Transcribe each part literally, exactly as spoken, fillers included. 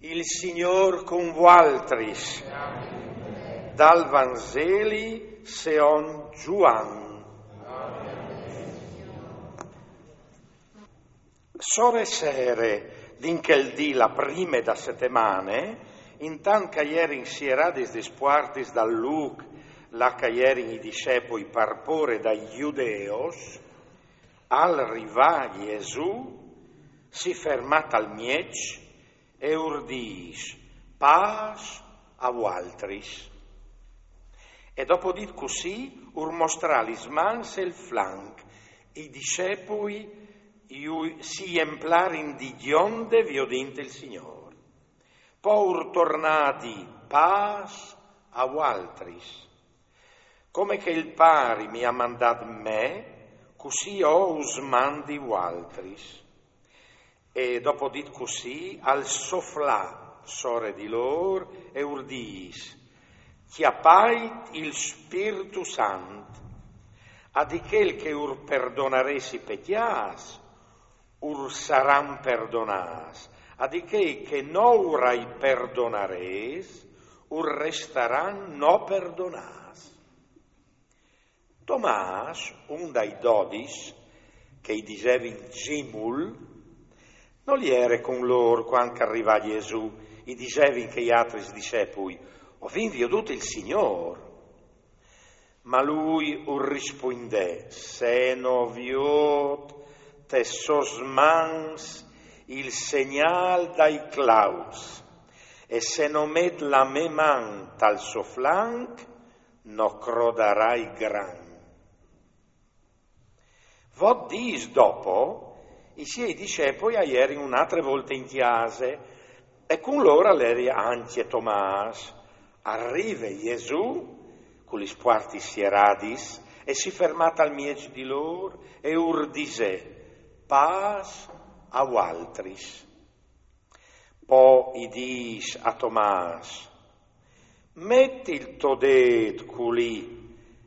Il Signôr cun vualtris. Dal Vanzeli seond Zuan. Sore sere, din chel dì la prime da setemane, intant che a jerin sieradis lis puartis dal lûc là che a jerin i discepui par pôre dai judeos, al rivà Jesù, si fermà tal mieç e ur dîs: «Pâs a vualtris.» E dopo dit cussì, ur mostrà lis mans e il flanc. I discepui ju-, si jemplarin di gjonde viodint il Signôr. Po ur tornà a dî: «Pâs a vualtris. Come che il Pari mi à mandât me, cussì jo us mandi vualtris.» E dopo dit cussì, al soflà sore di lôr e ur dîs: «Cjapait il Spirtu Sant. A di chei che ur perdonarês i pecjâts, ur saran perdonâts, a di chei che no ur ai perdonarês, ur restaran no perdonâts.» Tomàs, un dai dodis, che i disevin Zimul, nol jere cun lôr cuant che al rivà Jesù. I disevin chei altris discepui: «O vin viodût il Signôr.» Ma lui ur rispuindè: «Se no viôt tes sôs mans il segnâl dai clauts, e se no met la mê man tal so flanc, no crodarai gran.» Vot dîs dopo, i siei discepui a jerin une altre volte in cjase, e cun lôr al jere ancje Tomàs. Al rive Jesù, cu lis puartis sieradis, e si fermà tal mieç di lôr e ur disè: «Pâs a vualtris.» Po i dîs a Tomàs: «Met il to dêt culì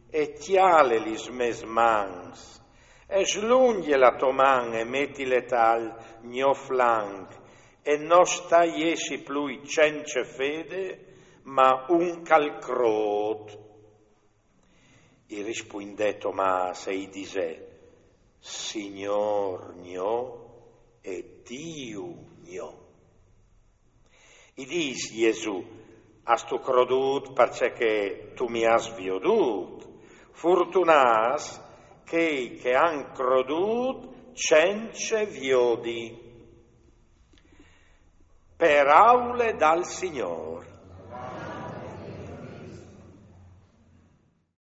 e cjale lis mês mans, e slungje la tô man e metile tal gno flanc, e no sta jessi plui cence fede, ma un che al crôt.» I rispuindè Tomàs e i disè: «Signôr gno e Diu gno.» I dîs Jesù: «Âstu crodût parcè che tu mi âs viodût? Furtunâts chei che a àn crodût cence viodi.» Peraule dal Signôr.